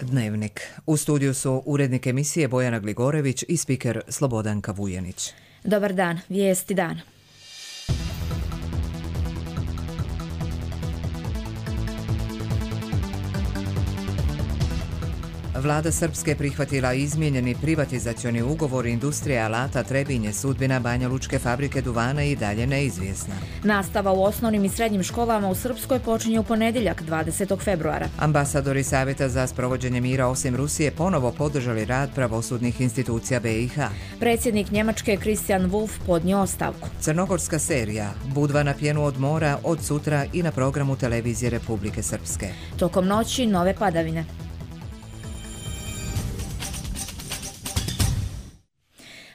Dnevnik. U studiju su urednik emisije Bojana Gligorević i spiker Slobodanka Vujanić. Dobar dan, vijesti dana. Vlada Srpske prihvatila izmijenjeni privatizacioni ugovor Industrije alata Trebinje, sudbina Banjalučke fabrike duvana i dalje neizvjesna. Nastava u osnovnim i srednjim školama u Srpskoj počinje u ponedjeljak 20. februara. Ambasadori Savjeta za sprovođenje mira osim Rusije ponovo podržali rad pravosudnih institucija BiH. Predsjednik Njemačke Christian Wulff podnio ostavku. Crnogorska serija Budva na pjenu od mora od sutra i na programu televizije Republike Srpske. Tokom noći nove padavine.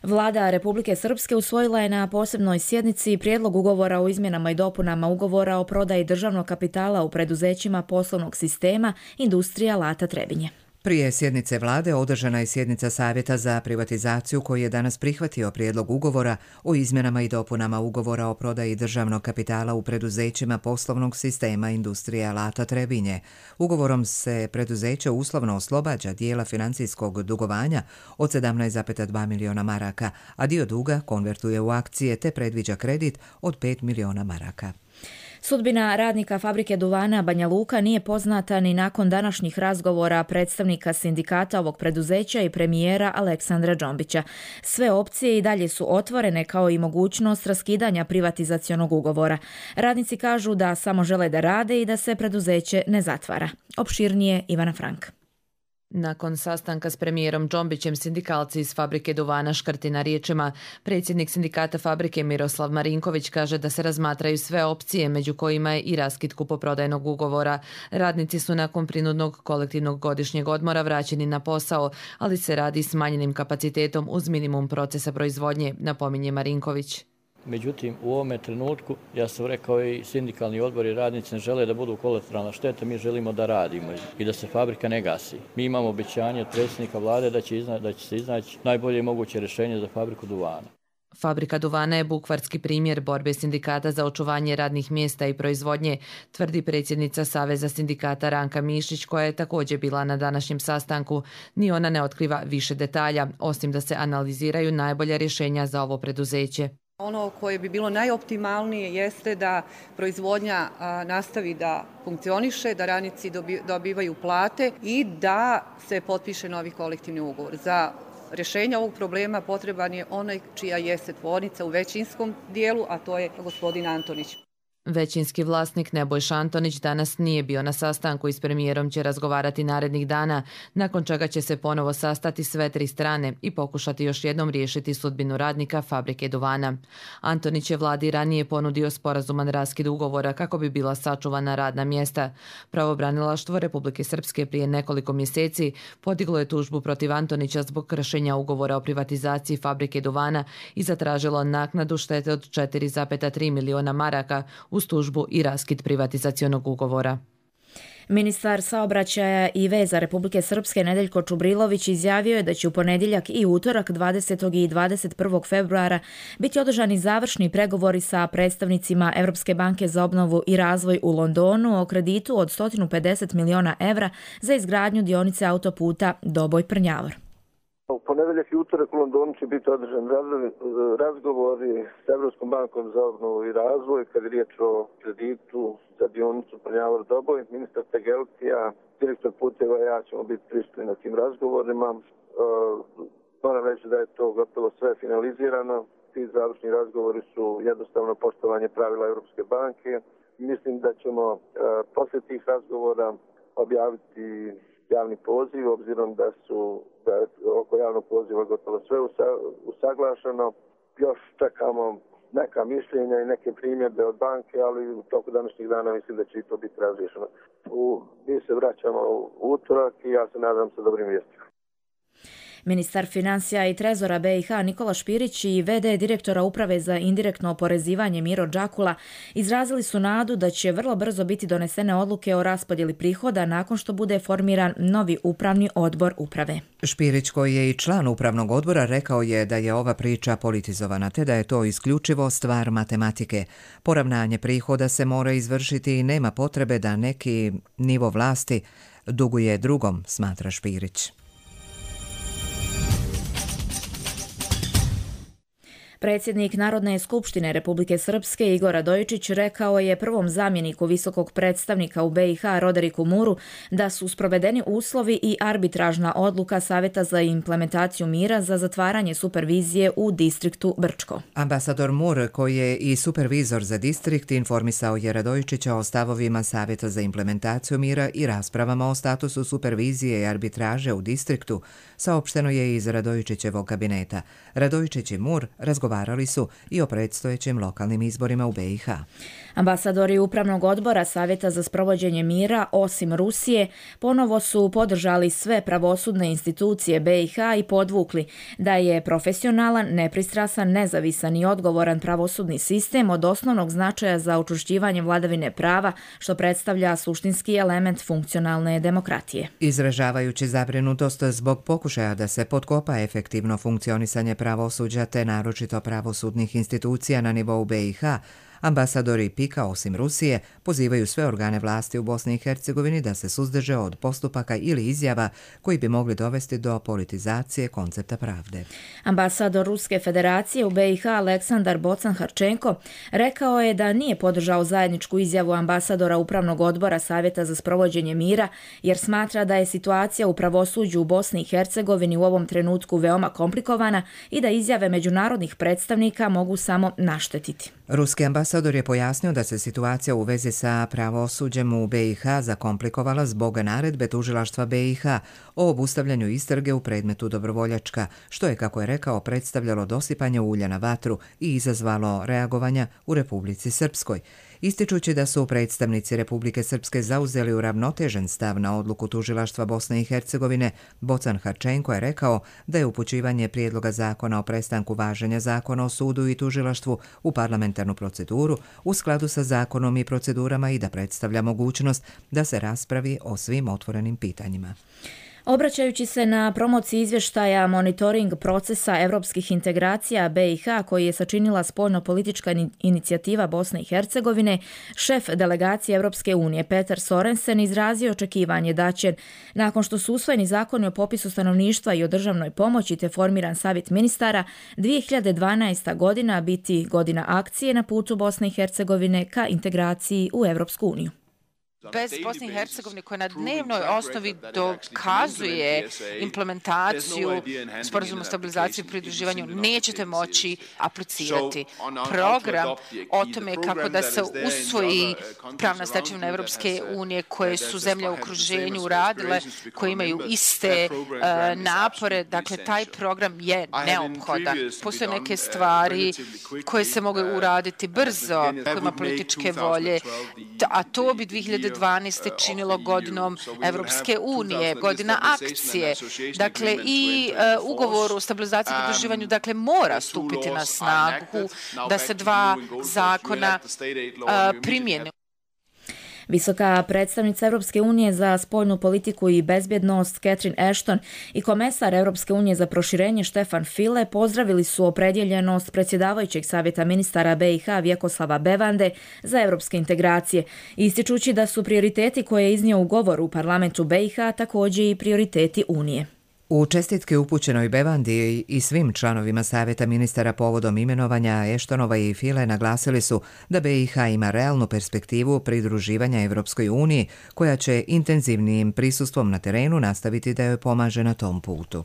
Vlada Republike Srpske usvojila je na posebnoj sjednici prijedlog ugovora o izmjenama i dopunama ugovora o prodaji državnog kapitala u preduzećima poslovnog sistema Industrija alata Trebinje. Prije sjednice vlade održana je sjednica Savjeta za privatizaciju koji je danas prihvatio prijedlog ugovora o izmjenama i dopunama ugovora o prodaji državnog kapitala u preduzećima poslovnog sistema Industrije alata Trebinje. Ugovorom se preduzeće uslovno oslobađa dijela financijskog dugovanja od 17,2 miliona maraka, a dio duga konvertuje u akcije te predviđa kredit od 5 miliona maraka. Sudbina radnika fabrike duvana Banja Luka nije poznata ni nakon današnjih razgovora predstavnika sindikata ovog preduzeća i premijera Aleksandra Džombića. Sve opcije i dalje su otvorene kao i mogućnost raskidanja privatizacionog ugovora. Radnici kažu da samo žele da rade i da se preduzeće ne zatvara. Opširnije Ivana Frank. Nakon sastanka s premijerom Džombićem sindikalci iz fabrike duvana škrti na riječima. Predsjednik sindikata fabrike Miroslav Marinković kaže da se razmatraju sve opcije, među kojima je i raskid kupoprodajnog ugovora. Radnici su nakon prinudnog kolektivnog godišnjeg odmora vraćeni na posao, ali se radi smanjenim kapacitetom uz minimum procesa proizvodnje, napominje Marinković. Međutim, u ovome trenutku, ja sam rekao i sindikalni odbor i radnici ne žele da budu kolateralna šteta, mi želimo da radimo i da se fabrika ne gasi. Mi imamo obećanje od predsjednika vlade da će se iznaći najbolje moguće rješenje za fabriku duvana. Fabrika duvana je bukvarski primjer borbe sindikata za očuvanje radnih mjesta i proizvodnje, tvrdi predsjednica Saveza sindikata Ranka Mišić, koja je također bila na današnjem sastanku. Ni ona ne otkriva više detalja, osim da se analiziraju najbolja rješenja za ovo preduzeće. Ono koje bi bilo najoptimalnije jeste da proizvodnja nastavi da funkcioniše, da radnici dobivaju plate i da se potpiše novi kolektivni ugovor. Za rješenje ovog problema potreban je onaj čija jeste tvornica u većinskom dijelu, a to je gospodin Antonić. Većinski vlasnik Nebojša Antonić danas nije bio na sastanku i s premijerom će razgovarati narednih dana, nakon čega će se ponovo sastati sve tri strane i pokušati još jednom riješiti sudbinu radnika fabrike duvana. Antonić je vladi ranije ponudio sporazuman raskid ugovora kako bi bila sačuvana radna mjesta. Pravobranilaštvo Republike Srpske prije nekoliko mjeseci podiglo je tužbu protiv Antonića zbog kršenja ugovora o privatizaciji fabrike duvana i zatražilo naknadu štete od 4,3 miliona maraka uz tužbu i raskid privatizacionog ugovora. Ministar saobraćaja i veza Republike Srpske Nedeljko Čubrilović izjavio je da će u ponedjeljak i utorak 20. i 21. februara biti održani završni pregovori sa predstavnicima Europske banke za obnovu i razvoj u Londonu o kreditu od 150 miliona evra za izgradnju dionice autoputa Doboj-Prnjavor. U ponedjeljak i utorak u Londonu će biti održani razgovori s Europskom bankom za obnovu i razvoj kad je riječ o kreditu za dionicu Prnjavor-Doboj. Ministar Tegelcija, direktor puteva i ja ćemo biti prisutni na tim razgovorima. Moram reći da je to gotovo sve finalizirano. Ti završni razgovori su jednostavno poštovanje pravila Europske banke. Mislim da ćemo poslije tih razgovora objaviti javni poziv, obzirom da je oko javnog poziva gotovo sve usaglašeno. Još čekamo neka mišljenja i neke primjedbe od banke, ali u toku današnjih dana mislim da će i to biti razriješeno. Mi se vraćamo u utorak i ja se nadam sa dobrim vijestima. Ministar financija i trezora BiH Nikola Špirić i v.d. direktora Uprave za indirektno oporezivanje Miro Đakula izrazili su nadu da će vrlo brzo biti donesene odluke o raspodjeli prihoda nakon što bude formiran novi upravni odbor uprave. Špirić, koji je i član upravnog odbora, rekao je da je ova priča politizovana te da je to isključivo stvar matematike. Poravnanje prihoda se mora izvršiti i nema potrebe da neki nivo vlasti duguje drugom, smatra Špirić. Predsjednik Narodne skupštine Republike Srpske Igor Radojičić rekao je prvom zamjeniku visokog predstavnika u BiH Roderiku Muru da su sprovedeni uslovi i arbitražna odluka Savjeta za implementaciju mira za zatvaranje supervizije u distriktu Brčko. Ambasador Mur, koji je i supervizor za distrikt, informisao je Radojičića o stavovima Savjeta za implementaciju mira i raspravama o statusu supervizije i arbitraže u distriktu, saopšteno je iz Radojičićevog kabineta. Radojičić i Mur razgovarali su i o predstojećim lokalnim izborima u BiH. Ambasadori Upravnog odbora Savjeta za sprovođenje mira, osim Rusije, ponovo su podržali sve pravosudne institucije BiH i podvukli da je profesionalan, nepristrasan, nezavisan i odgovoran pravosudni sistem od osnovnog značaja za učvršćivanje vladavine prava, što predstavlja suštinski element funkcionalne demokratije. Izražavajući zabrinutost zbog pokušaja da se potkopa efektivno funkcionisanje pravosuđa te naročito pravosudnih institucija na nivou BiH, ambasadori PIK-a, osim Rusije, pozivaju sve organe vlasti u Bosni i Hercegovini da se suzdrže od postupaka ili izjava koji bi mogli dovesti do politizacije koncepta pravde. Ambasador Ruske federacije u BiH Aleksandar Bocan-Harčenko rekao je da nije podržao zajedničku izjavu ambasadora Upravnog odbora Savjeta za sprovođenje mira, jer smatra da je situacija u pravosuđu u Bosni i Hercegovini u ovom trenutku veoma komplikovana i da izjave međunarodnih predstavnika mogu samo naštetiti. Ruski ambasador je pojasnio da se situacija u vezi sa pravosuđem u BiH zakomplikovala zbog naredbe tužilaštva BiH o obustavljanju istrage u predmetu Dobrovoljačka, što je, kako je rekao, predstavljalo dosipanje ulja na vatru i izazvalo reagovanja u Republici Srpskoj. Ističući da su predstavnici Republike Srpske zauzeli uravnotežen stav na odluku tužilaštva Bosne i Hercegovine, Bocan-Harčenko je rekao da je upućivanje prijedloga zakona o prestanku važenja zakona o sudu i tužilaštvu u parlamentarnu proceduru u skladu sa zakonom i procedurama i da predstavlja mogućnost da se raspravi o svim otvorenim pitanjima. Obraćajući se na promociji izvještaja monitoring procesa evropskih integracija BiH koji je sačinila spoljno-politička inicijativa Bosne i Hercegovine, šef delegacije Evropske unije Petar Sorensen izrazio očekivanje da će, nakon što su usvojeni zakoni o popisu stanovništva i o državnoj pomoći te formiran savjet ministara, 2012. godina biti godina akcije na putu Bosne i Hercegovine ka integraciji u Evropsku uniju. Bez Bosne i Hercegovine koja na dnevnoj osnovi dokazuje implementaciju sporazuma o stabilizaciji i pridruživanju, nećete moći aplicirati. Program o tome kako da se usvoji pravna stečevina Evropske unije koje su zemlje u okruženju uradile, koje imaju iste napore, dakle taj program je neophodan. Postoje neke stvari koje se mogu uraditi brzo, koje ima političke volje, a to bi 2012. činilo godinom Evropske unije, godina akcije. Dakle, i ugovor o stabilizaciji i pridruživanju mora stupiti na snagu da se dva zakona primjene. Visoka predstavnica Evropske unije za spoljnu politiku i bezbjednost Catherine Ashton i komesar Evropske unije za proširenje Štefan File pozdravili su opredjeljenost predsjedavajućeg savjeta ministara BiH Vjekoslava Bevande za evropske integracije, ističući da su prioriteti koje je iznio u govoru u parlamentu BiH također i prioriteti Unije. U čestitke upućenoj Bevandi i svim članovima savjeta ministara povodom imenovanja Eštonova i File naglasili su da BiH ima realnu perspektivu pridruživanja Evropskoj uniji, koja će intenzivnijim prisustvom na terenu nastaviti da joj pomaže na tom putu.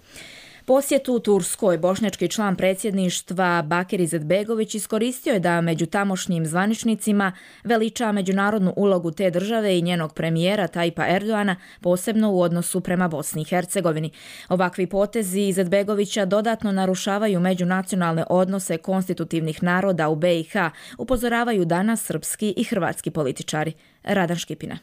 Posjetu Turskoj bošnjački član predsjedništva Bakir Izetbegović iskoristio je da među tamošnjim zvaničnicima veliča međunarodnu ulogu te države i njenog premijera Tajpa Erdoana, posebno u odnosu prema Bosni i Hercegovini. Ovakvi potezi Izetbegovića dodatno narušavaju međunacionalne odnose konstitutivnih naroda u BiH, upozoravaju danas srpski i hrvatski političari. Radan Škipina.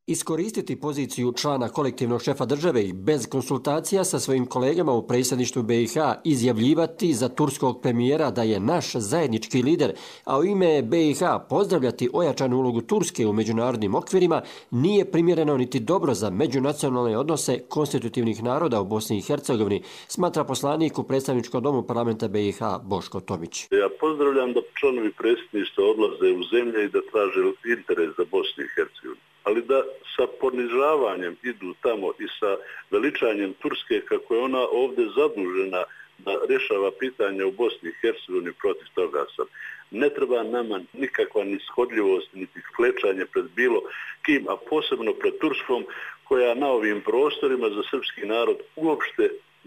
Iskoristiti poziciju člana kolektivnog šefa države i bez konsultacija sa svojim kolegama u predsjedništvu BiH izjavljivati za turskog premijera da je naš zajednički lider, a u ime BiH pozdravljati ojačanu ulogu Turske u međunarodnim okvirima nije primjereno niti dobro za međunacionalne odnose konstitutivnih naroda u Bosni i Hercegovini, smatra poslanik u predstavničkom domu parlamenta BiH Boško Tomić. Ja pozdravljam da članovi predsjedništva odlaze u zemlje i da traže interes za Bosnu i Hercegovinu. ali da sa ponižavanjem idu tamo i sa veličanjem Turske kako je ona ovdje zadužena da rješava pitanje u Bosni i Hercegovini, protiv toga sam. Ne treba nama nikakva nishodljivost, niti klečanje pred bilo kim, a posebno pred Turskom, koja na ovim prostorima za srpski narod uopšte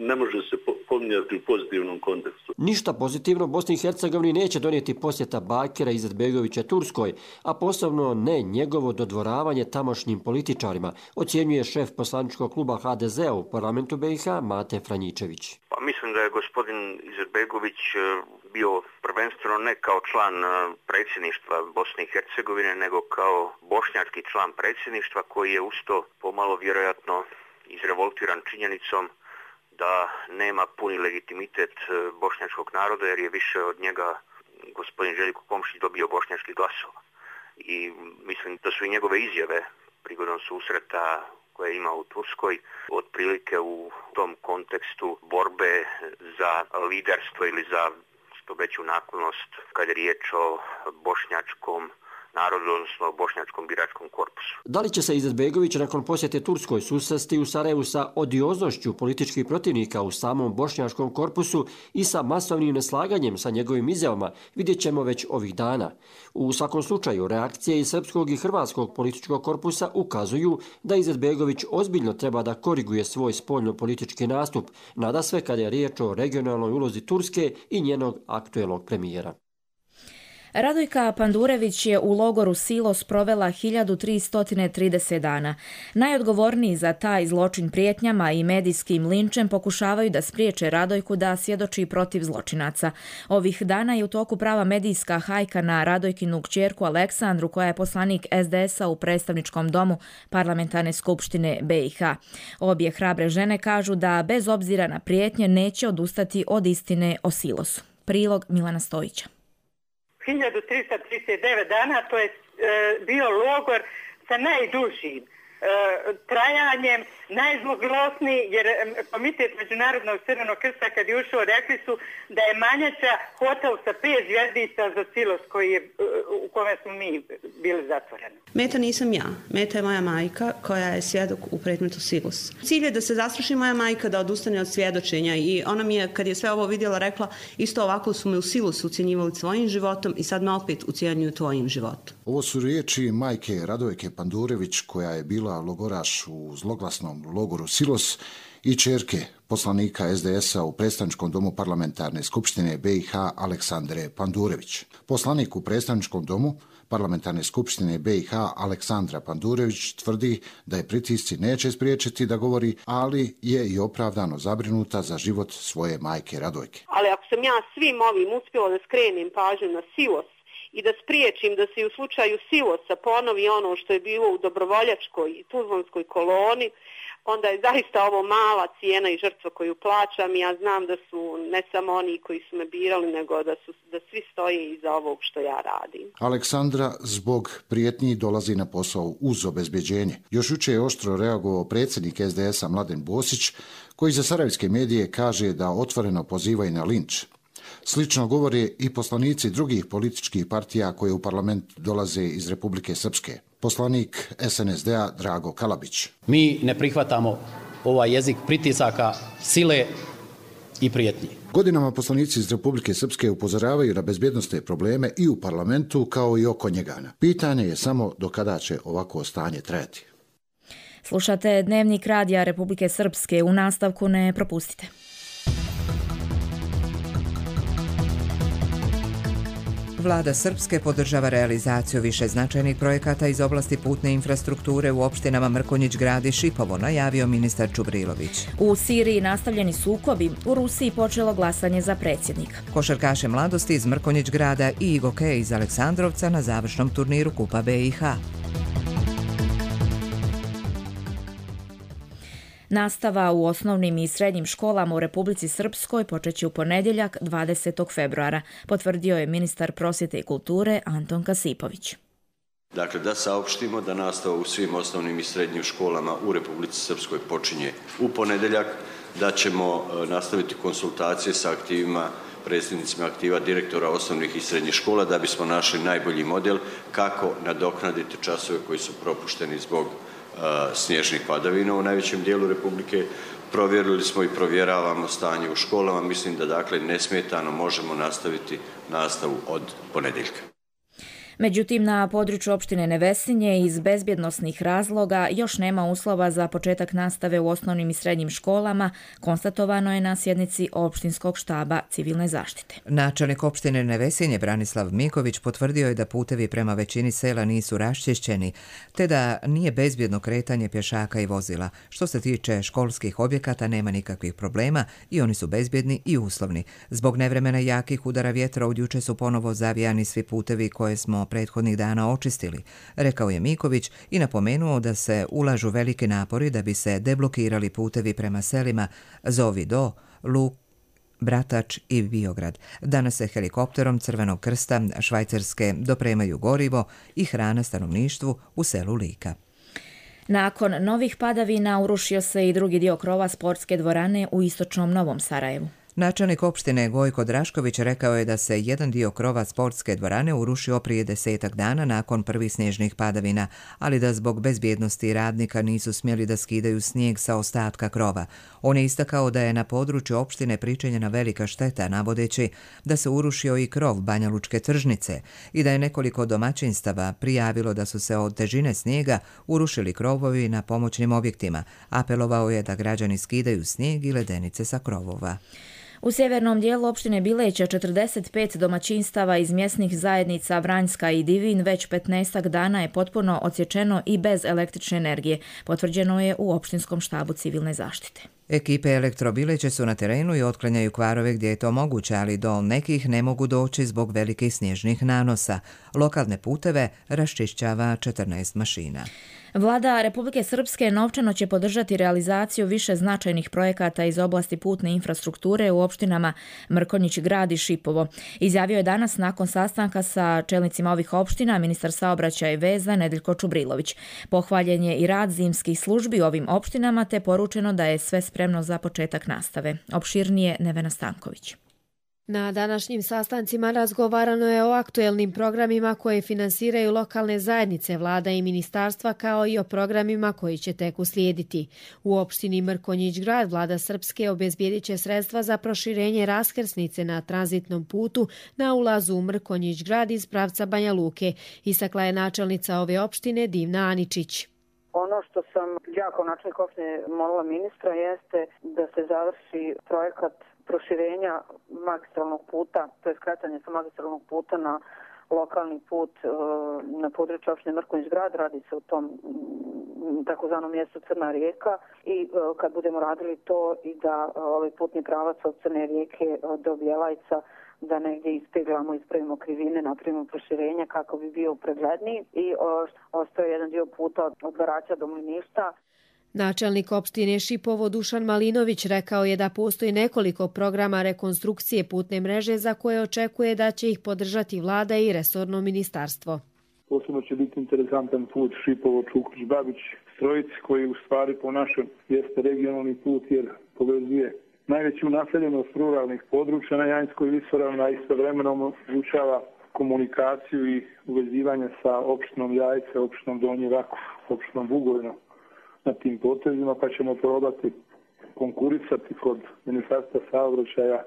ne može se pominjati u pozitivnom kontekstu. Ništa pozitivno Bosni i Hercegovini neće donijeti posjeta Bakira Izetbegovića Turskoj, a posebno ne njegovo dodvoravanje tamošnjim političarima, ocjenjuje šef poslaničkog kluba HDZ-a u parlamentu BiH Mate Franjičević. Pa mislim da je gospodin Izetbegović bio prvenstveno ne kao član predsjedništva Bosne i Hercegovine, nego kao bošnjački član predsjedništva koji je usto pomalo vjerojatno izrevoltiran činjenicom da nema puni legitimitet bošnjačkog naroda, jer je više od njega gospodin Željko Komšić dobio bošnjačkih glasova. I mislim da su i njegove izjave prigodom susreta koje je imao u Turskoj otprilike u tom kontekstu borbe za liderstvo ili za što veću naklonost kad je riječ o bošnjačkom narodu, odnosno o bošnjačkom biračkom korpusu. Da li će se Izetbegović nakon posjete Turskoj susresti u Sarajevu sa odioznošću političkih protivnika u samom bošnjačkom korpusu i sa masovnim neslaganjem sa njegovim izjavama, vidjet ćemo već ovih dana. U svakom slučaju, reakcije iz srpskog i hrvatskog političkog korpusa ukazuju da Izetbegović ozbiljno treba da koriguje svoj spoljno-politički nastup, nadasve kada je riječ o regionalnoj ulozi Turske i njenog aktuelnog premijera. Radojka Pandurević je u logoru Silos provela 1330 dana. Najodgovorniji za taj zločin prijetnjama i medijskim linčem pokušavaju da spriječe Radojku da svjedoči protiv zločinaca. Ovih dana je u toku prava medijska hajka na Radojkinu kćerku Aleksandru, koja je poslanik SDS-a u predstavničkom domu Parlamentarne skupštine BiH. Obje hrabre žene kažu da bez obzira na prijetnje neće odustati od istine o Silosu. Prilog Milana Stojića. 1339 dana, to je bio logor sa najdužim trajanjem, najzloglosniji, jer Komitet Međunarodnog Crvenog krsta kad je ušao rekli su da je Manjača hotel sa 5 zvjezdica za Silos u kome smo mi bili zatvoreni. Meta nisam ja, meta je moja majka koja je svjedok u predmetu Silos. Cilj je da se zastraši moja majka, da odustane od svjedočenja i ona mi je, kad je sve ovo vidjela, rekla isto ovako su me u Silosu ucjenjivali svojim životom i sad me opet ucjenjuju tvojim životom. Ovo su riječi majke Radojke Pandurević, koja je bila logoraš u zloglasnom logoru Silos, i ćerke poslanika SDS-a u predstavničkom domu Parlamentarne skupštine BiH Aleksandre Pandurević. Poslanik u predstavničkom domu Parlamentarne skupštine BiH Aleksandra Pandurević tvrdi da je pritisci neće spriječiti da govori, ali je i opravdano zabrinuta za život svoje majke Radojke. Ali ako sam ja svim ovim uspjela da skrenem pažnju na Silos i da spriječim da se u slučaju Silosa ponovi ono što je bilo u dobrovoljačkoj i tuzlanskoj koloni, onda je zaista ovo mala cijena i žrtva koju plaćam i ja znam da su ne samo oni koji su me birali, nego da svi stoje iza ovog što ja radim. Aleksandra zbog prijetnji dolazi na posao uz obezbeđenje. Još jučer je oštro reagovao predsjednik SDS-a Mladen Bosić, koji za sarajevske medije kaže da otvoreno pozivaju na linč. Slično govore i poslanici drugih političkih partija koje u parlament dolaze iz Republike Srpske. Poslanik SNSD-a Drago Kalabić. Mi ne prihvatamo ovaj jezik pritisaka, sile i prijetnji. Godinama poslanici iz Republike Srpske upozoravaju na bezbjednosne probleme i u parlamentu kao i oko njega. Pitanje je samo do kada će ovako stanje trajati. Slušate Dnevnik radija Republike Srpske. U nastavku ne propustite. Vlada Srpske podržava realizaciju više značajnih projekata iz oblasti putne infrastrukture u opštinama Mrkonjić Grad i Šipovo, najavio ministar Čubrilović. U Siriji nastavljeni sukobi, u Rusiji počelo glasanje za predsjednika. Košarkaše mladosti iz Mrkonjić Grada i Igoke iz Aleksandrovca na završnom turniru Kupa BiH. Nastava u osnovnim i srednjim školama u Republici Srpskoj počeće u ponedjeljak 20. februara, potvrdio je ministar prosvjete i kulture Anton Kasipović. Dakle, da saopštimo da nastava u svim osnovnim i srednjim školama u Republici Srpskoj počinje u ponedjeljak, da ćemo nastaviti konsultacije sa aktivima predsjednicima aktiva direktora osnovnih i srednjih škola da bismo našli najbolji model kako nadoknaditi časove koji su propušteni zbog snježnih padavina u najvećem dijelu Republike. Provjerili smo i provjeravamo stanje u školama. Mislim da dakle nesmetano možemo nastaviti nastavu od ponedjeljka. Međutim, na području opštine Nevesinje iz bezbjednosnih razloga još nema uslova za početak nastave u osnovnim i srednjim školama, konstatovano je na sjednici opštinskog štaba civilne zaštite. Načelnik opštine Nevesinje Branislav Miković potvrdio je da putevi prema većini sela nisu raščišćeni, te da nije bezbjedno kretanje pješaka i vozila. Što se tiče školskih objekata, nema nikakvih problema i oni su bezbjedni i uslovni. Zbog nevremena jakih udara vjetra od juče su ponovo zavijani svi putevi koje smo prethodnih dana očistili, rekao je Miković i napomenuo da se ulažu veliki napori da bi se deblokirali putevi prema selima Zovi do, Luk, Bratač i Biograd. Danas se helikopterom Crvenog krsta Švajcarske dopremaju gorivo i hrana stanovništvu u selu Lika. Nakon novih padavina urušio se i drugi dio krova sportske dvorane u istočnom Novom Sarajevu. Načelnik opštine Gojko Drašković rekao je da se jedan dio krova sportske dvorane urušio prije 10 dana nakon prvih snježnih padavina, ali da zbog bezbjednosti radnika nisu smjeli da skidaju snijeg sa ostatka krova. On je istakao da je na području opštine pričinjena velika šteta, navodeći da se urušio i krov Banja Lučke tržnice i da je nekoliko domaćinstava prijavilo da su se od težine snijega urušili krovovi na pomoćnim objektima. Apelovao je da građani skidaju snijeg i ledenice sa krovova. U sjevernom dijelu opštine Bileća 45 domaćinstava iz mjesnih zajednica Vranjska i Divin već 15 dana je potpuno odsječeno i bez električne energije, potvrđeno je u opštinskom štabu civilne zaštite. Ekipe Elektrobileće su na terenu i otklanjaju kvarove gdje je to moguće, ali do nekih ne mogu doći zbog velikih snježnih nanosa. Lokalne puteve raščišćava 14 mašina. Vlada Republike Srpske novčano će podržati realizaciju više značajnih projekata iz oblasti putne infrastrukture u opštinama Mrkonjić Grad i Šipovo. Izjavio je danas nakon sastanka sa čelnicima ovih opština ministar saobraćaja i veza Nedeljko Čubrilović. Pohvaljen je i rad zimskih službi u ovim opštinama te poručeno da je sve spremno za početak nastave. Opširnije Nevena Stanković. Na današnjim sastancima razgovarano je o aktuelnim programima koje finansiraju lokalne zajednice, vlada i ministarstva, kao i o programima koji će tek uslijediti. U opštini Mrkonjić Grad vlada Srpske obezbijedit će sredstva za proširenje raskrsnice na tranzitnom putu na ulazu u Mrkonjić Grad iz pravca Banja Luke, istakla je načelnica ove opštine Divna Aničić. Ono što sam ja kao načelnik opštine molila ministra jeste da se završi projekat proširenja magistralnog puta, to je skratanje sa magistralnog puta na lokalni put na području opštine Mrkonjić Grad. Radi se o tom takozvanom mjestu Crna rijeka i kad budemo radili to i da ovaj putni pravac od Crne rijeke do Bjelajca da negdje ispeglamo, ispravimo krivine, napravimo proširenje kako bi bio pregledniji i ostaje jedan dio puta od Garaća do Mliništa. Načelnik opštine Šipovo Dušan Malinović rekao je da postoji nekoliko programa rekonstrukcije putne mreže za koje očekuje da će ih podržati vlada i resorno ministarstvo. Posebno će biti interesantan put Šipovo-Čukrić-Babić-Strojic koji u stvari po našem jeste regionalni put jer povezuje najveću naseljenost ruralnih područja na Janjskoj visoravni, a istovremeno omogućava komunikaciju i uvezivanje sa opštinom Jajce, opštinom Donji Rakov, opštinom Bugojno na tim potezima, pa ćemo probati konkurisati kod Ministarstva saobraćaja.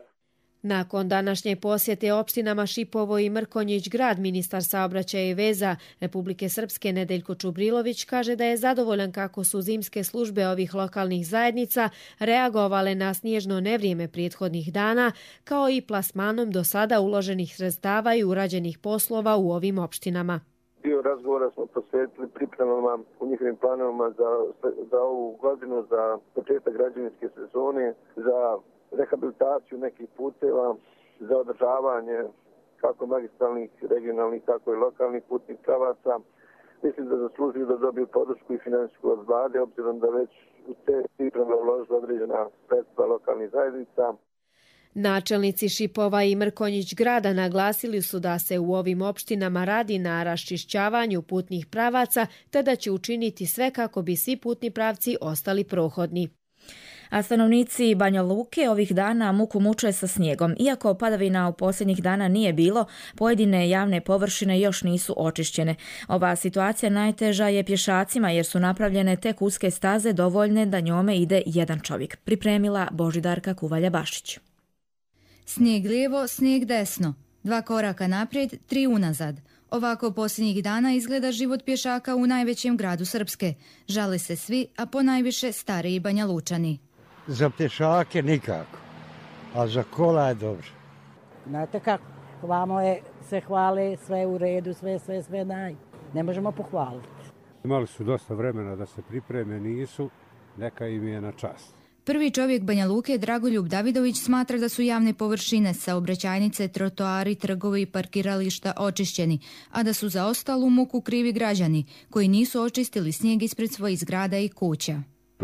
Nakon današnje posjete opštinama Šipovo i Mrkonjić Grad, ministar saobraćaja i veza Republike Srpske Nedeljko Čubrilović kaže da je zadovoljan kako su zimske službe ovih lokalnih zajednica reagovale na snježno nevrijeme prethodnih dana, kao i plasmanom do sada uloženih sredstava i urađenih poslova u ovim opštinama. Dio razgovora smo posvetili pripremama u njihovim planovima za ovu godinu, za početak građevinske sezone, za rehabilitaciju nekih puteva, za održavanje kako magistralnih, regionalnih, tako i lokalnih putnih pravaca. Mislim da zaslužuju da dobiju podršku i finansijsku od vlade, obzirom da već u te pripreme uložila određena sredstva lokalnih zajednica. Načelnici Šipova i Mrkonjić Grada naglasili su da se u ovim opštinama radi na raščišćavanju putnih pravaca te da će učiniti sve kako bi svi putni pravci ostali prohodni. A stanovnici Banja Luke ovih dana muku muče sa snijegom. Iako padavina u posljednjih dana nije bilo, pojedine javne površine još nisu očišćene. Ova situacija najteža je pješacima jer su napravljene tek uske staze dovoljne da njome ide jedan čovjek. Pripremila Božidarka Kuvalja-Bašić. Snijeg lijevo, snijeg desno. 2 koraka naprijed, 3 unazad. Ovako posljednjih dana izgleda život pješaka u najvećem gradu Srpske. Žale se svi, a ponajviše stariji Banja Lučani. Za pješake nikako, a za kola je dobro. Znate kako, vamo je se hvale, sve u redu, sve naj. Ne možemo pohvaliti. Imali su dosta vremena da se pripreme, nisu, neka im je na čast. Prvi čovjek Banja Luke, Dragoljub Davidović, smatra da su javne površine, saobraćajnice, trotoari, trgovi i parkirališta očišćeni, a da su za ostalu muku krivi građani, koji nisu očistili snijeg ispred svojih zgrada i kuća.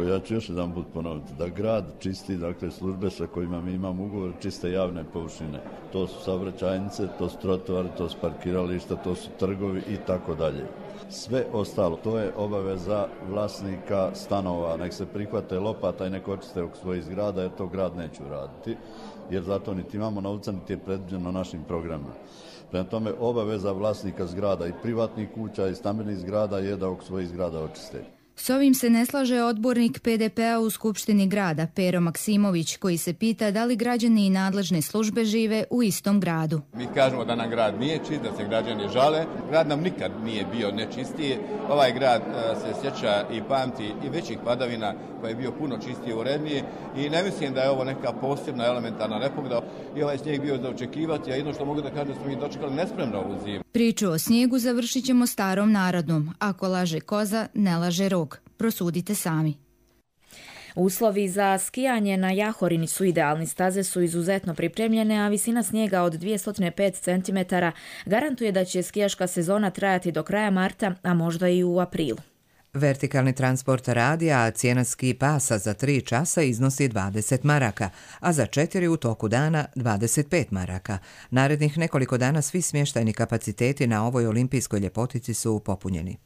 Ja ću još jedan put ponoviti da grad čisti, dakle službe sa kojima mi imamo ugovor, čiste javne površine. To su saobraćajnice, to su trotoari, to su parkirališta, to su trgovi i tako dalje. Sve ostalo, to je obaveza vlasnika stanova, nek se prihvate lopata i nek očiste oko svojih zgrada, jer to grad neće uraditi, jer zato niti imamo novca, niti je predviđeno našim programima. Prema tome, obaveza vlasnika zgrada i privatnih kuća i stambenih zgrada je da oko svojih zgrada očiste. S ovim se ne slaže odbornik PDP-a u Skupštini grada, Pero Maksimović, koji se pita da li građani i nadležne službe žive u istom gradu. Mi kažemo da nam grad nije čist, da se građani žale. Grad nam nikad nije bio nečistiji. Ovaj grad se sjeća i pamti i većih padavina koji je bio puno čistiji i uredniji i ne mislim da je ovo neka posebna elementarna nepogoda i ovaj snijeg bio za očekivati, a jedno što mogu da kažem da smo mi dočekali nespremno ovu zimu. Priču o snijegu završit ćemo starom narodnom. Ako laže koza, ne laže rog. Prosudite sami. Uslovi za skijanje na Jahorini su idealni. Staze su izuzetno pripremljene, a visina snijega od 205 cm garantuje da će skijaška sezona trajati do kraja marta, a možda i u aprilu. Vertikalni transport radi, a cijena ski pasa za 3 časa iznosi 20 maraka, a za 4 u toku dana 25 maraka. Narednih nekoliko dana svi smještajni kapaciteti na ovoj olimpijskoj ljepotici su popunjeni.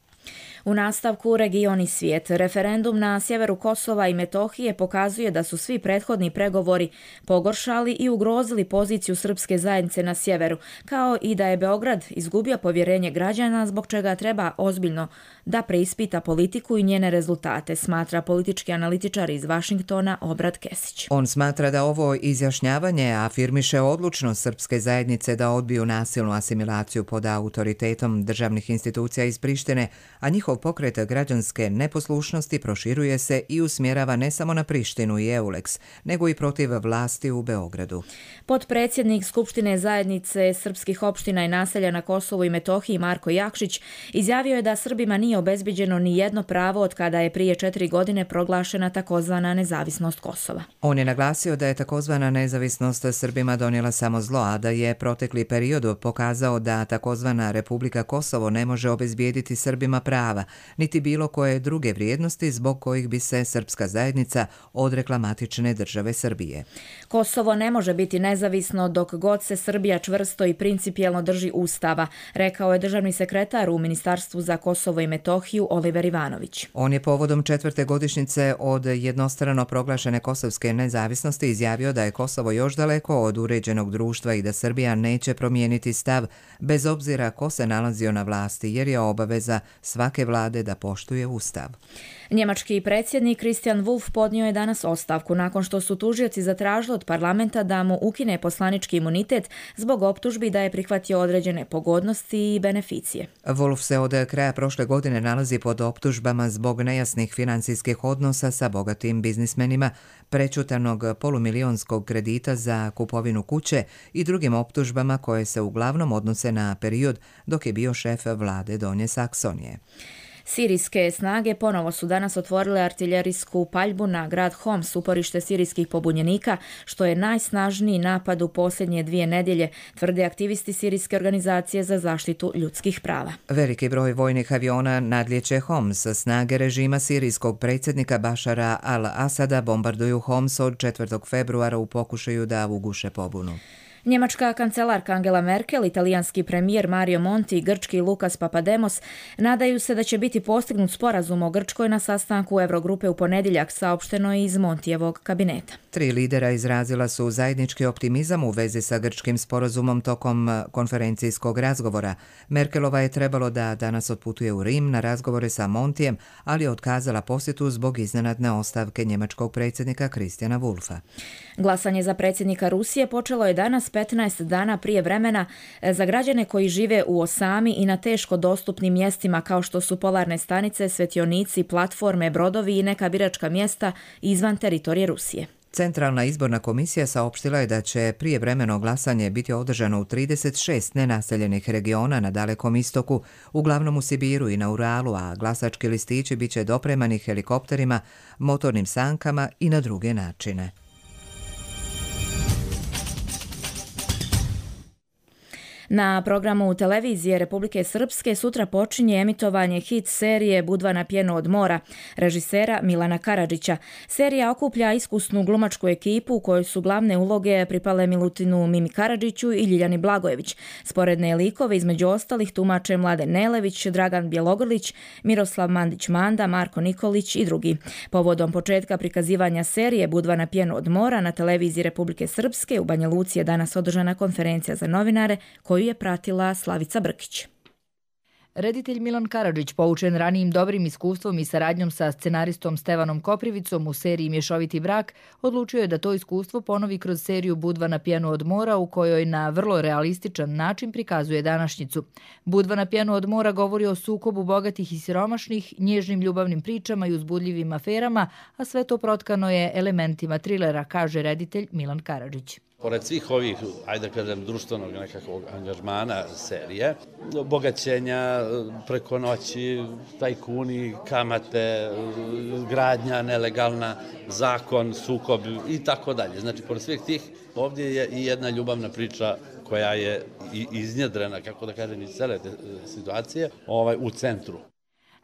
U nastavku region i svijet. Referendum na sjeveru Kosova i Metohije pokazuje da su svi prethodni pregovori pogoršali i ugrozili poziciju srpske zajednice na sjeveru, kao i da je Beograd izgubio povjerenje građana, zbog čega treba ozbiljno da preispita politiku i njene rezultate, smatra politički analitičar iz Vašingtona Obrad Kesić. On smatra da ovo izjašnjavanje afirmiše odlučnost srpske zajednice da odbiju nasilnu asimilaciju pod autoritetom državnih institucija iz Prištine, a njihov pokret građanske neposlušnosti proširuje se i usmjerava ne samo na Prištinu i Euleks, nego i protiv vlasti u Beogradu. Potpredsjednik Skupštine zajednice srpskih opština i naselja na Kosovu i Metohiji Marko Jakšić izjavio je da Srbima nije obezbiđeno ni jedno pravo od kada je prije 4 godine proglašena takozvana nezavisnost Kosova. On je naglasio da je takozvana nezavisnost Srbima donijela samo zlo, a da je protekli period pokazao da takozvana Republika Kosovo ne može obezbijediti Srbima prava, niti bilo koje druge vrijednosti zbog kojih bi se srpska zajednica odrekla matične države Srbije. Kosovo ne može biti nezavisno dok god se Srbija čvrsto i principijelno drži Ustava, rekao je državni sekretar u Ministarstvu za Kosovo i Metohiju Oliver Ivanović. On je povodom 4. godišnjice od jednostrano proglašene kosovske nezavisnosti izjavio da je Kosovo još daleko od uređenog društva i da Srbija neće promijeniti stav bez obzira ko se nalazio na vlasti, jer je obaveza svake vlade da poštuje Ustav. Njemački predsjednik Christian Wolff podnio je danas ostavku nakon što su tužioci zatražili od parlamenta da mu ukine poslanički imunitet zbog optužbi da je prihvatio određene pogodnosti i beneficije. Wolff se od kraja prošle godine nalazi pod optužbama zbog nejasnih financijskih odnosa sa bogatim biznismenima, prečutanog polumilijonskog kredita za kupovinu kuće i drugim optužbama koje se uglavnom odnose na period dok je bio šef vlade Donje Saksonije. Sirijske snage ponovo su danas otvorile artiljerijsku paljbu na grad Homs, uporište sirijskih pobunjenika, što je najsnažniji napad u posljednje 2 nedjelje, tvrde aktivisti Sirijske organizacije za zaštitu ljudskih prava. Veliki broj vojnih aviona nadlijeće Homs. Snage režima sirijskog predsjednika Bašara al-Asada bombarduju Homs od 4. februara u pokušaju da uguše pobunu. Njemačka kancelarka Angela Merkel, italijanski premijer Mario Monti i grčki Lukas Papademos nadaju se da će biti postignut sporazum o Grčkoj na sastanku Eurogrupe u ponedjeljak, saopšteno iz Montijevog kabineta. 3 lidera izrazila su zajednički optimizam u vezi sa grčkim sporazumom tokom konferencijskog razgovora. Merkelova je trebalo da danas otputuje u Rim na razgovore sa Montijem, ali je otkazala posjetu zbog iznenadne ostavke njemačkog predsjednika Christiana Wulffa. Glasanje za predsjednika Rusije počelo je danas 15 dana prije vremena za građane koji žive u osami i na teško dostupnim mjestima kao što su polarne stanice, svetionici, platforme, brodovi i neka biračka mjesta izvan teritorije Rusije. Centralna izborna komisija saopštila je da će prijevremeno glasanje biti održano u 36 nenaseljenih regiona na Dalekom istoku, uglavnom u Sibiru i na Uralu, a glasački listići bit će dopremani helikopterima, motornim sankama i na druge načine. Na programu televizije Republike Srpske sutra počinje emitovanje hit serije Budva na pjenu od mora, režisera Milana Karadžića. Serija okuplja iskusnu glumačku ekipu u kojoj su glavne uloge pripale Milutinu Mimi Karadžiću i Ljiljani Blagojević. Sporedne likove između ostalih tumače Mladen Nelević, Dragan Bjelogrlić, Miroslav Mandić-Manda, Marko Nikolić i drugi. Povodom početka prikazivanja serije Budva na pjenu od mora na televiziji Republike Srpske u Banja Luci je danas održana konferencija za novinare koju je pratila Slavica Brkić. Reditelj Milan Karadžić, poučen ranijim dobrim iskustvom i saradnjom sa scenaristom Stevanom Koprivicom u seriji Mješoviti brak, odlučio je da to iskustvo ponovi kroz seriju Budva na pjenu od mora, u kojoj na vrlo realističan način prikazuje današnjicu. Budva na pjenu od mora govori o sukobu bogatih i siromašnih, nježnim ljubavnim pričama i uzbudljivim aferama, a sve to protkano je elementima trilera, kaže reditelj Milan Karadžić. Pored svih ovih, ajde da kažem, društvenog nekakvog angažmana serije, bogaćenja preko noći, tajkuni, kamate, gradnja nelegalna, zakon, sukob i tako dalje. Znači, pored svih tih, ovdje je i jedna ljubavna priča koja je iznjedrena, kako da kažem, iz cele te situacije, u centru.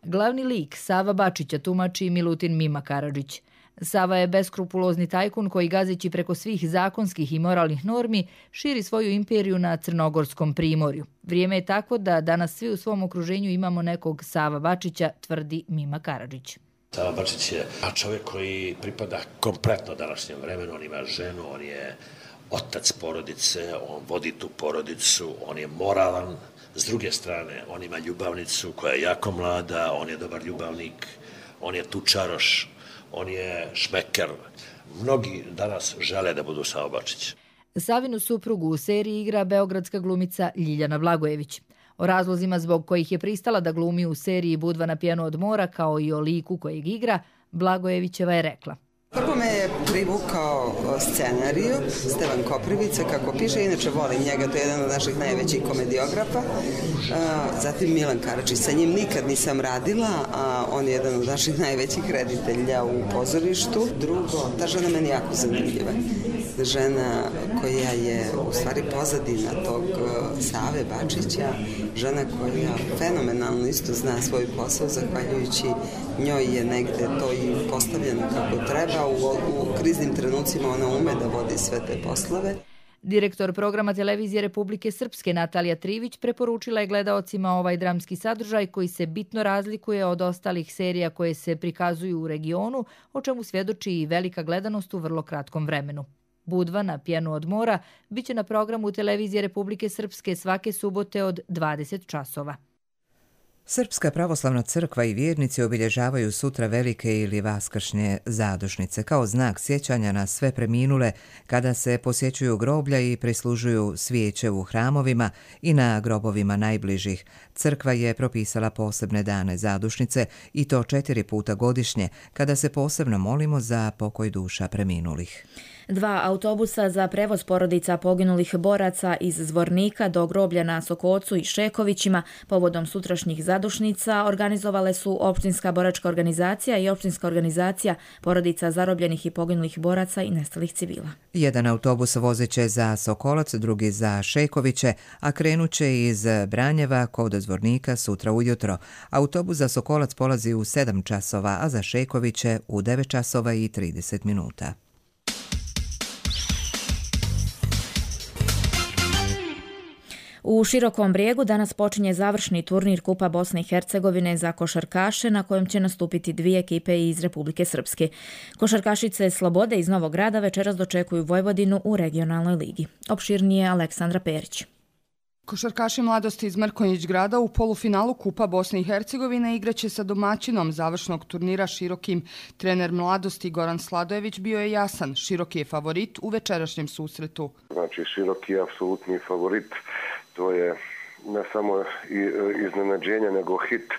Glavni lik Sava Bačića tumači Milutin Mima Karadžić. Sava je beskrupulozni tajkun koji, gazeći preko svih zakonskih i moralnih normi, širi svoju imperiju na Crnogorskom primorju. Vrijeme je tako da danas svi u svom okruženju imamo nekog Sava Bačića, tvrdi Mima Karadžić. Sava Bačić je čovjek koji pripada kompletno današnjem vremenu. On ima ženu, on je otac porodice, on vodi tu porodicu, on je moralan. S druge strane, on ima ljubavnicu koja je jako mlada, on je dobar ljubavnik, on je tučaroš, on je šmeker. Mnogi danas žele da budu Sava Bačić. Savinu suprugu u seriji igra beogradska glumica Ljiljana Blagojević. O razlozima zbog kojih je pristala da glumi u seriji Budva na pjenu od mora, kao i o liku kojeg igra, Blagojevićeva je rekla. Prvo me je privukao scenariju, Stevan Koprivica, kako piše, inače volim njega, to je jedan od naših najvećih komediografa. Zatim Milan Karadžić, sa njim nikad nisam radila, a on je jedan od naših najvećih reditelja u pozorištu. Drugo, ta žena meni jako zanimljiva. Žena koja je u stvari pozadina tog Save Bačića, žena koja fenomenalno isto zna svoj posao, zahvaljujući njoj je negde to i postavljeno kako treba. U kriznim trenucima ona ume da vodi sve te poslove. Direktor programa televizije Republike Srpske Natalija Trivić preporučila je gledaocima ovaj dramski sadržaj koji se bitno razlikuje od ostalih serija koje se prikazuju u regionu, o čemu svjedoči i velika gledanost u vrlo kratkom vremenu. Budva na pjenu od mora biće na programu televizije Republike Srpske svake subote od 20 časova. Srpska pravoslavna crkva i vjernici obilježavaju sutra velike ili vaskršnje zadušnice kao znak sjećanja na sve preminule kada se posjećuju groblja i prislužuju svijeće u hramovima i na grobovima najbližih. Crkva je propisala posebne dane zadušnice i to 4 puta godišnje kada se posebno molimo za pokoj duša preminulih. 2 autobusa za prevoz porodica poginulih boraca iz Zvornika do groblja na Sokocu i Šekovićima povodom sutrašnjih zadušnica organizovale su Općinska boračka organizacija i Općinska organizacija porodica zarobljenih i poginulih boraca i nestalih civila. Jedan autobus vozeće za Sokolac, drugi za Šekoviće, a krenuće iz Branjeva kod Zvornika sutra ujutro. Autobus za Sokolac polazi u 7 časova, a za Šekoviće u 9 časova i 30 minuta. U Širokom Brijegu danas počinje završni turnir Kupa Bosne i Hercegovine za košarkaše na kojem će nastupiti dvije ekipe iz Republike Srpske. Košarkašice Slobode iz Novog Grada večeras dočekuju Vojvodinu u regionalnoj ligi. Opširnije Aleksandra Perić. Košarkaši Mladosti iz Mrkonjić grada u polufinalu Kupa Bosne i Hercegovine igraće sa domaćinom završnog turnira Širokim. Trener Mladosti Goran Sladojević bio je jasan, Široki je favorit u večerašnjem susretu. Znači Široki je apsolutni favorit, to je ne samo iznenađenje nego hit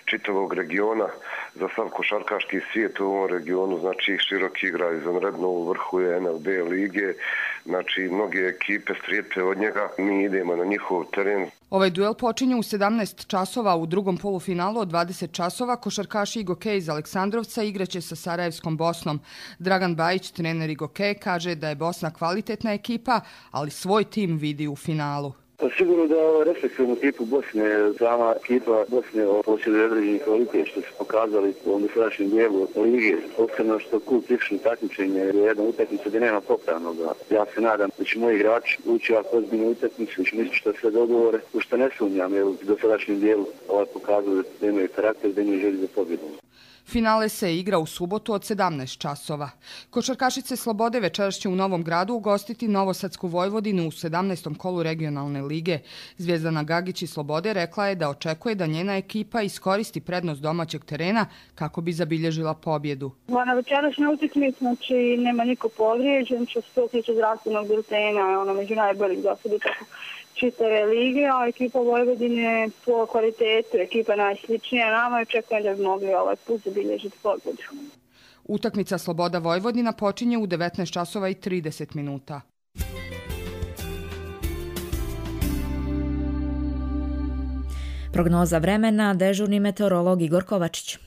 čitavog regiona za sav košarkaški svijet u ovom regionu. Znači Široki igra izvanredno, u vrhu je NLB lige, znači mnoge ekipe strepe od njega, mi idemo na njihov teren. Ovaj duel počinje u 17 časova, u drugom polufinalu od 20 časova košarkaši Igoke iz Aleksandrovca igraće sa Sarajevskom Bosnom. Dragan Bajić, trener Igoke, kaže da je Bosna kvalitetna ekipa, ali svoj tim vidi u finalu. Sigurno da respektivnu ekipu Bosne, sama ekipa Bosne posjeduje određeni kvalitet što su pokazali u ovom dosadašnjem dijelu lige. Posebno što kult tišni takmičenje je jedna utakmica gdje nema popravnoga. Ja se nadam da će moji igrači ući ovako ozbiljnu utakmicu, da će misliti što sve dogovore, u što ne sumnjam jer u dosadašnjem dijelu pokazali da imaju karakter, da imaju želju za pobjedu. Finale se igra u subotu od 17 časova. Košarkašice Slobode večeras će u Novom Gradu ugostiti Novosadsku Vojvodinu u 17. kolu regionalne lige. Zvijezdana Gagić iz Slobode rekla je da očekuje da njena ekipa iskoristi prednost domaćeg terena kako bi zabilježila pobjedu. Na večerašnjoj utakmici znači nema niko povrijeđen, što se tiče zdravstvenog biltena, među najboljih dosada čitave lige, a ekipa Vojvodine po kvalitetu, ekipa najsličnija nama i očekujem da bi mogli ovaj put zabilježiti pobjedu. Utakmica Sloboda Vojvodina počinje u 19 časova i 30 minuta. Prognoza vremena, dežurni meteorolog Igor Kovačić.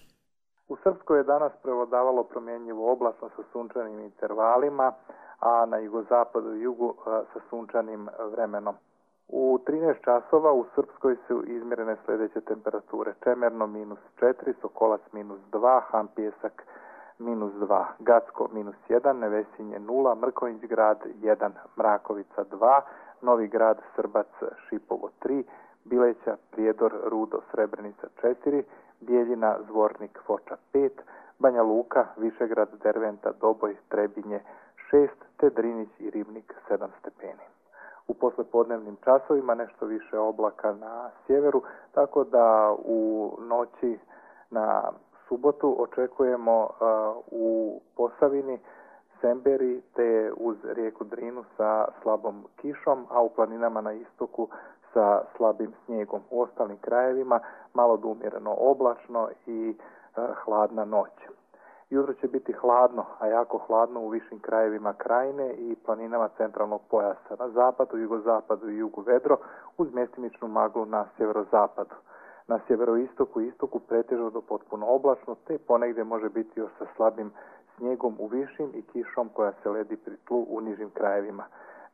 U Srpskoj je danas prevladavalo promjenjivo oblačno sa sunčanim intervalima, a na jugozapadu i jugu sa sunčanim vremenom. U 13 časova u Srpskoj su izmjerene sljedeće temperature. Čemerno -4, Sokolac -2, Hampijesak -2, Gacko -1, Nevesinje 0, Mrkonjić grad 1, Mrakovica 2, Novi grad, Srbac, Šipovo 3, Bileća, Prijedor, Rudo, Srebrenica 4, Bijeljina, Zvornik, Foča 5, Banja Luka, Višegrad, Derventa, Doboj, Trebinje 6, te Drinić i Ribnik 7 stepeni. U poslepodnevnim časovima nešto više oblaka na sjeveru, tako da u noći na subotu očekujemo u Posavini, Semberi te uz rijeku Drinu sa slabom kišom, a u planinama na istoku sa slabim snijegom. U ostalim krajevima malo do umjereno oblačno i hladna noć. Jutro će biti hladno, a jako hladno u višim krajevima krajine i planinama centralnog pojasa. Na zapadu, jugozapadu i jugu vedro uz mjestimičnu maglu na sjeverozapadu. Na sjeveroistoku i istoku pretežno do potpuno oblačno, te ponegdje može biti još sa slabim snijegom u višim i kišom koja se ledi pri tlu u nižim krajevima.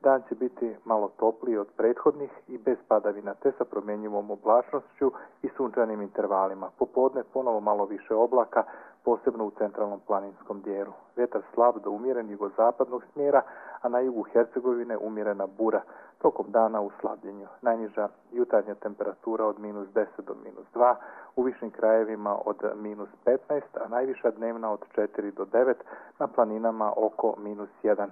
Dan će biti malo topliji od prethodnih i bez padavina, te sa promjenjivom oblačnošću i sunčanim intervalima. Popodne ponovo malo više oblaka, posebno u centralnom planinskom dijelu. Vjetar slab do umjeren jugozapadnog smjera, a na jugu Hercegovine umjerena bura, tokom dana u slabljenju. Najniža jutarnja temperatura od -10 do -2, u višim krajevima od -15, a najviša dnevna od 4 do 9, na planinama oko -1.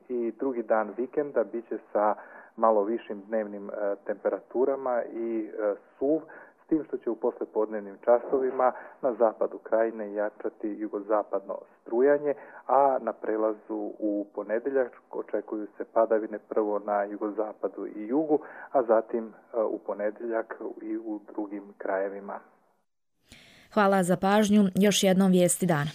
I drugi dan vikenda bit će sa malo višim dnevnim temperaturama i suv, s tim što će u poslepodnevnim časovima na zapadu krajine jačati jugozapadno strujanje, a na prelazu u ponedjeljak očekuju se padavine prvo na jugozapadu i jugu, a zatim u ponedjeljak i u drugim krajevima. Hvala za pažnju. Još jednom vijesti dana.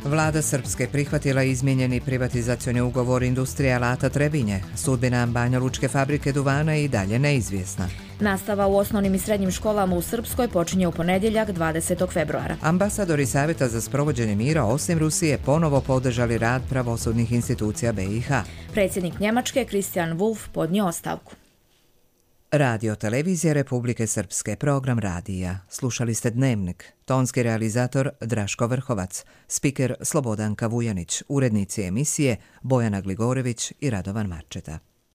Vlada Srpske prihvatila izmijenjeni privatizacioni ugovor industrije alata Trebinje. Sudbina Banja Lučke fabrike duvana je i dalje neizvjesna. Nastava u osnovnim i srednjim školama u Srpskoj počinje u ponedjeljak 20. februara. Ambasadori Savjeta za sprovođenje mira osim Rusije ponovo podržali rad pravosudnih institucija BiH. Predsjednik Njemačke Christian Wulff podnio ostavku. Radio Televizija Republike Srpske, program radija. Slušali ste Dnevnik. Tonski realizator Draško Vrhovac, spiker Slobodanka Vujanić, urednici emisije Bojana Gligorević i Radovan Marčeta.